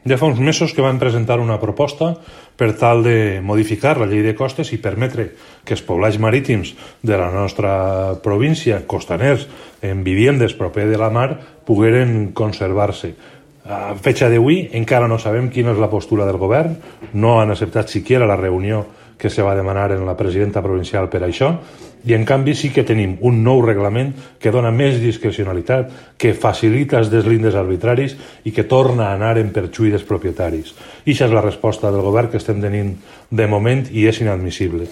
Ja fa uns mesos que vam presentar una proposta per tal de modificar la llei de costes i permetre que els poblats marítims de la nostra província, costaners, en viviendes proper de la mar, pogueren conservar-se. A fecha d'avui encara no sabem quina és la postura del govern, no han acceptat siquiera la reunió que se va demanar en la presidenta provincial per això, i en canvi sí que tenim un nou reglament que dona més discrecionalitat, que facilita els deslindes arbitraris i que torna a anar en perjuí dels propietaris. I això és la resposta del govern que estem tenint de moment i és inadmissible.